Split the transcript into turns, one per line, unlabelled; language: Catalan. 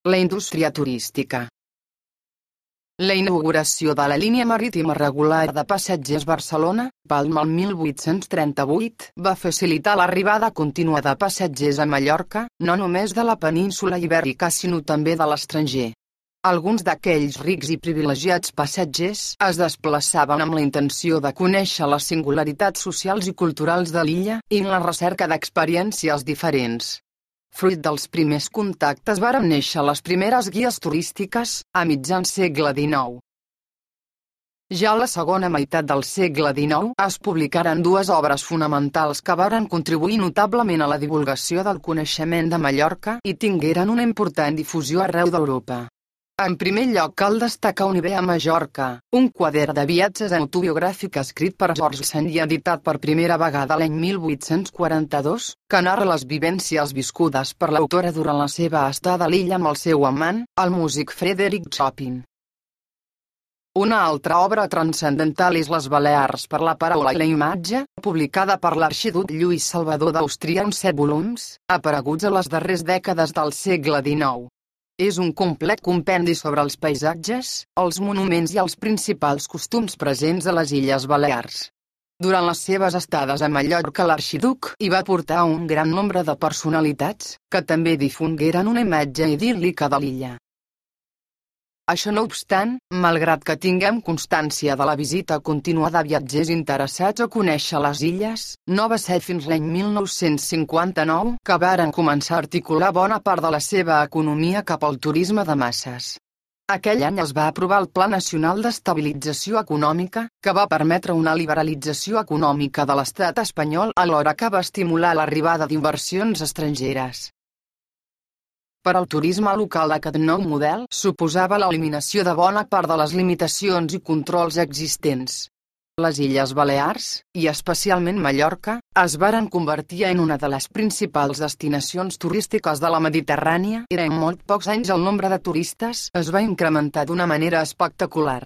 La indústria turística. La inauguració de la línia marítima regular de passatgers Barcelona-Palma el 1838 va facilitar l'arribada contínua de passatgers a Mallorca, no només de la península ibèrica sinó també de l'estranger. Alguns d'aquells rics i privilegiats passatgers es desplaçaven amb la intenció de conèixer les singularitats socials i culturals de l'illa i en la recerca d'experiències diferents. Fruit dels primers contactes varen néixer les primeres guies turístiques, a mitjan segle XIX. Ja a la segona meitat del segle XIX es publicaren dues obres fonamentals que varen contribuir notablement a la divulgació del coneixement de Mallorca i tingueren una important difusió arreu d'Europa. En primer lloc cal destacar Un hivern a Mallorca, un quadern de viatges autobiogràfic escrit per George Sand i editat per primera vegada l'any 1842, que narra les vivències viscudes per l'autora durant la seva estada a l'illa amb el seu amant, el músic Frederick Chopin. Una altra obra transcendental és Les Balears per la paraula i la imatge, publicada per l'arxiduc Lluís Salvador d'Àustria en 7 volums, apareguts a les darreres dècades del segle XIX. És un complet compendi sobre els paisatges, els monuments i els principals costums presents a les Illes Balears. Durant les seves estades a Mallorca l'arxiduc hi va portar un gran nombre de personalitats, que també difongueren una imatge idíl·lica de l'illa. Això no obstant, malgrat que tinguem constància de la visita continuada de viatgers interessats a conèixer les illes, no va ser fins l'any 1959 que varen començar a articular bona part de la seva economia cap al turisme de masses. Aquell any es va aprovar el Pla Nacional d'Estabilització Econòmica, que va permetre una liberalització econòmica de l'estat espanyol alhora que va estimular l'arribada d'inversions estrangeres. Per al turisme local aquest nou model suposava l'eliminació de bona part de les limitacions i controls existents. Les Illes Balears, i especialment Mallorca, es varen convertir en una de les principals destinacions turístiques de la Mediterrània i en molt pocs anys el nombre de turistes es va incrementar d'una manera espectacular.